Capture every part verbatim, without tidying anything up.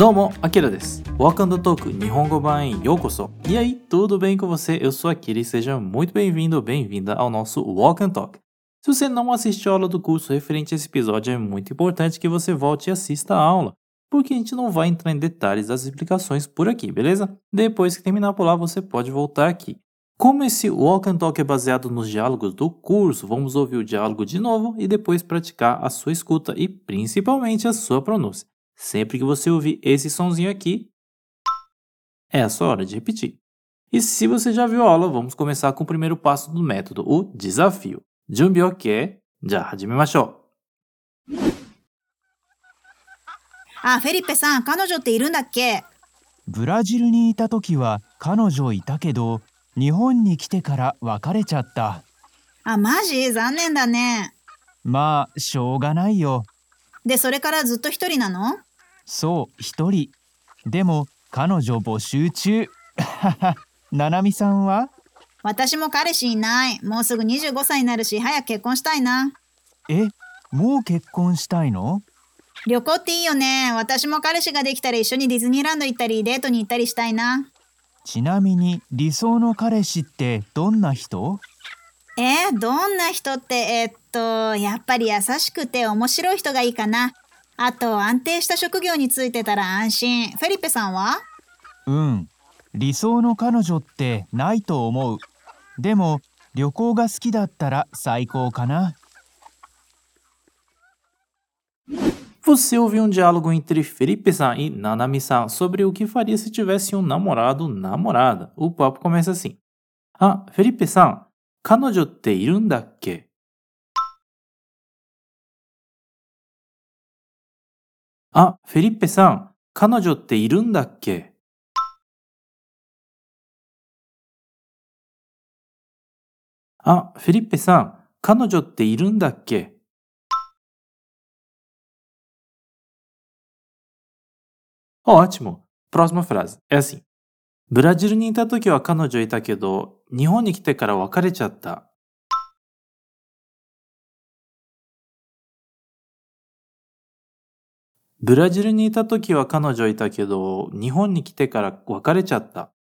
どうも、アキラです。Welcome to Talk 日本語版へようこそ。E aí, tudo bem com você? Eu sou Akira e seja muito bem-vindo ou bem-vinda ao nosso Walk and Talk. Se você não assistiu a aula do curso referente a esse episódio, é muito importante que você volte e assista a aula, porque a gente não vai entrar em detalhes das explicações por aqui, beleza? Depois que terminar por lá, você pode voltar aqui. Como esse Walk and Talk é baseado nos diálogos do curso, vamos ouvir o diálogo de novo e depois praticar a sua escuta e principalmente a sua pronúncia. Sempre que você ouvir esse sonzinho aqui, é a sua hora de repetir. E se você já viu a aula, vamos começar com o primeiro passo do método, o desafio. Junbi ok? Já hajimemashou. あ、フェリペさん、彼女っているんだっけ？ブラジルにいた時は彼女いたけど、日本に来てから別れちゃった。あ、マジ？残念だね。まあ、しょうがないよ。で、それからずっと一人なの？そう、一人。でも、彼女募集中。ななみさんは？私も彼氏いない。もうすぐにじゅうごさいになるし、早く結婚したいな。え、もう結婚したいの？旅行っていいよね。私も彼氏ができたら一緒にディズニーランド行ったり、デートに行ったりしたいな。ちなみに、理想の彼氏ってどんな人？えー、どんな人って、えーっと、やっぱり優しくて面白い人がいいかな。あと、安定した職業についてたら安心。フェリペさんは？うん、理想の彼女ってないと思う。でも、旅行が好きだったら最高かな。Você ouviu um diálogo entre Felipe-san e Nanami-san sobre o que faria se tivesse um namorado ou namorada. O papo começa assim. Ah, Felipe-san, 彼女っているんだっけ? Ah, Felipe-san, 彼女っているんだっけ? Ah, Felipe-san, 彼女っているんだっけ? Ótimo! Próxima frase. É assim. ブラジルにいた時は彼女いたけど、日本に来てから別れちゃった。ブラジルにいた時は彼女いたけど、日本に来てから別れちゃった。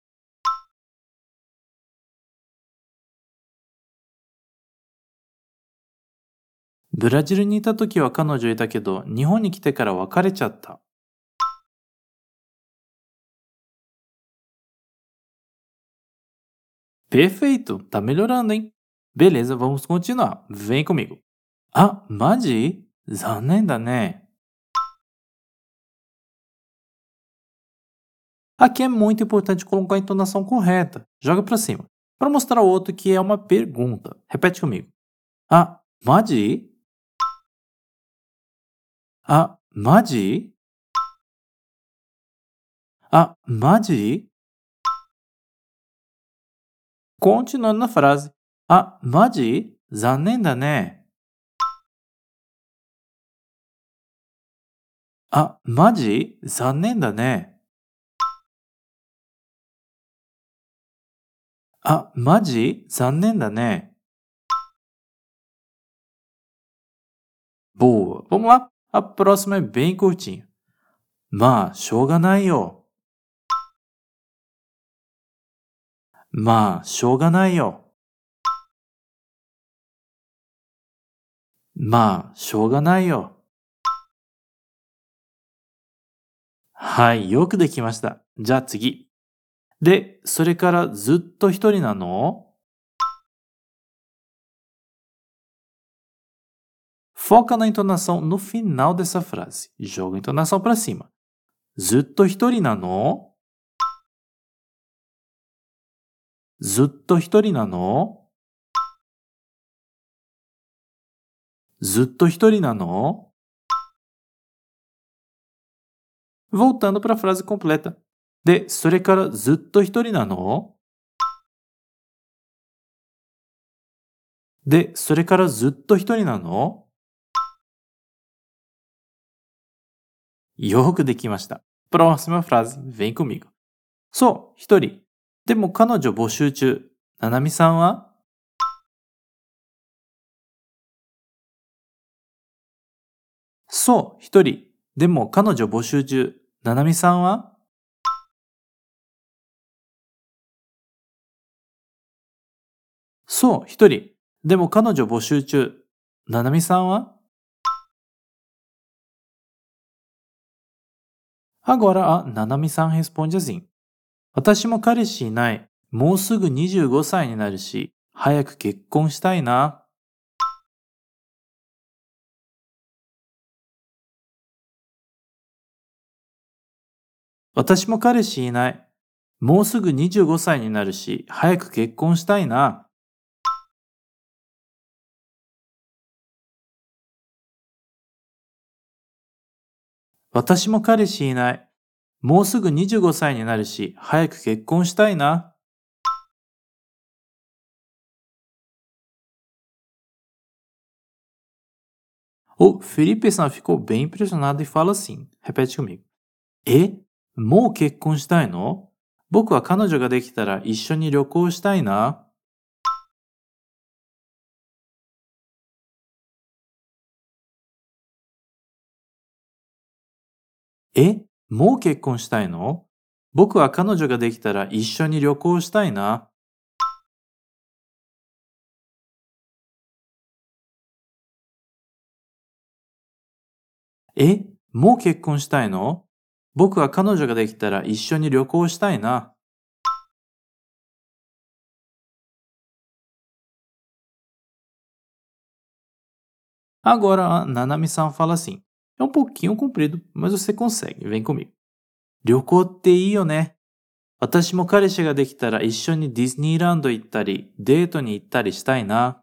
ブラジルにいた時は彼女いたけど、日本に来てから別れちゃった。Perfeito! Tá melhorando, hein? Beleza, vamos continuar. Vem comigo. Ah, maji? 残念だね。Aqui é muito importante colocar a entonação correta. Joga pra cima. Para mostrar ao outro que é uma pergunta. Repete comigo. Ah, maji? Ah, maji? Ah, maji? Continuando na frase. Ah, maji? 残念だね。あ、マジ？残念だね。あ、マジ？残念だね。Boa! Vamos lá? A próxima é bem curtinha. まあ、しょうがないよ。まあ、しょうがないよ。まあ、しょうがないよ。はい、よくできました。じゃあ次。で、それからずっと一人なの? Foca na entonação no final dessa frase. Joga a entonação para cima. ずっと一人なの? ずっと一人なの? ずっと一人なの? Voltando para a frase completa. で、それからずっと一人なの? で、それからずっと一人なの? よくできました。Próxima frase, vem comigo. そう、一人。でも彼女募集中。ななみさんは? そう、一人。でも彼女募集中。ななみさんは？そう、一人。でも彼女募集中。ななみさんは？Agora a Nanami-san responde assim: 私も彼氏いない。もうすぐにじゅうごさいになるし、早く結婚したいな。私も彼氏いない。もうすぐにじゅうごさいになるし、早く結婚したいな。私も彼氏いない。もうすぐにじゅうごさいになるし、早く結婚したいな。O Felipe-san ficou bem impressionado e fala assim. Repete comigo. え、もう結婚したいの？僕は彼女ができたら一緒に旅行したいな。え、もう結婚したいの？僕は彼女ができたら一緒に旅行したいな。え、もう結婚したいの？僕は彼女ができたら一緒に旅行したいな。Agora a Nanami-san fala assim. É um pouquinho comprido, mas você consegue. Vem comigo. 旅行っていいよね。私も彼氏ができたら一緒にディズニーランド行ったり、デートに行ったりしたいな。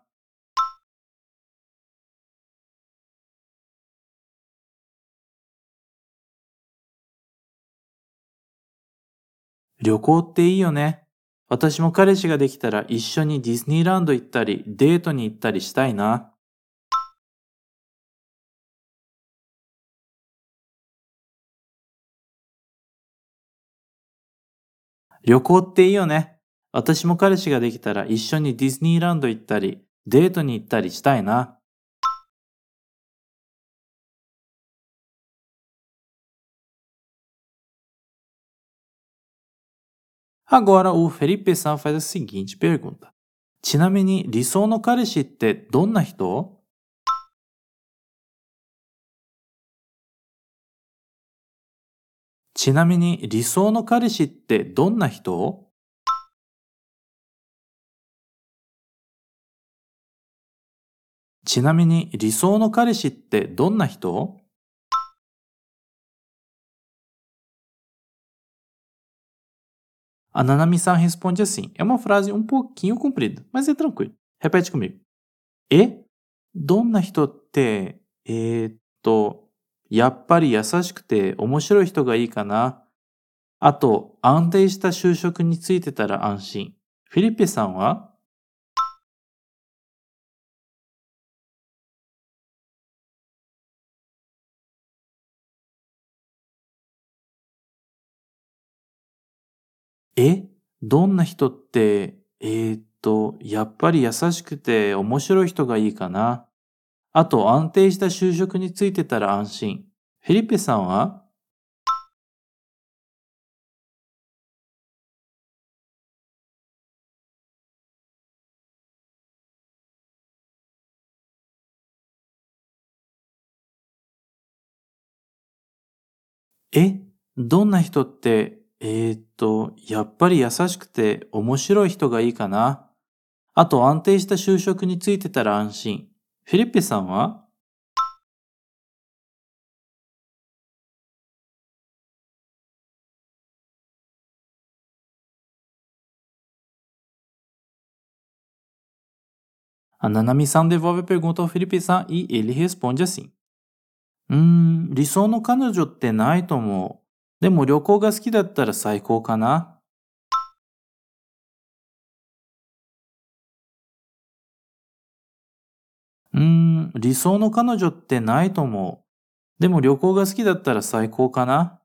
旅行っていいよね。私も彼氏ができたら一緒にディズニーランド行ったり、デートに行ったりしたいな。旅行っていいよね。私も彼氏ができたら一緒にディズニーランド行ったり、デートに行ったりしたいな。Agora o Felipe San faz a seguinte pergunta. ちなみに理想の彼氏ってどんな人？ちなみに理想の彼氏ってどんな人？ちなみに理想の彼氏ってどんな人？A Nanami-san responde assim. É uma frase um pouquinho comprida, mas é tranquilo. Repete comigo. え、どんな人って、えーっと、やっぱり優しくて面白い人がいいかな。あと、安定した就職についてたら安心。フィリペさんは？え、どんな人って、えーっと、やっぱり優しくて面白い人がいいかな。あと、安定した就職についてたら安心。フィリペさんは？え、どんな人って、えーっと、やっぱり優しくて面白い人がいいかな。あと安定した就職についてたら安心。フィリッペさんは？A Nanami-san devolve a pergunta ao Felipe-san e ele responde assim. うーん、理想の彼女ってないと思う。でも旅行が好きだったら最高かな。うーん、理想の彼女ってないと思う。でも旅行が好きだったら最高かな。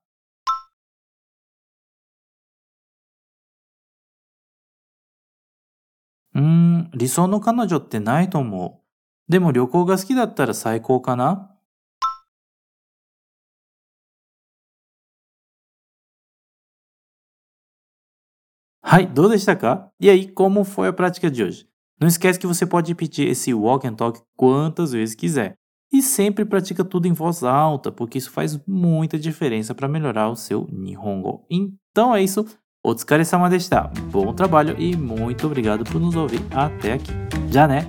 うーん、理想の彼女ってないと思う。でも旅行が好きだったら最高かな。Hai, do destacar. E aí, como foi a prática de hoje? Não esquece que você pode repetir esse walk and talk quantas vezes quiser. E sempre pratica tudo em voz alta, porque isso faz muita diferença para melhorar o seu Nihongo. Então é isso. Otsukaresama deshita. Bom trabalho e muito obrigado por nos ouvir até aqui. Já né?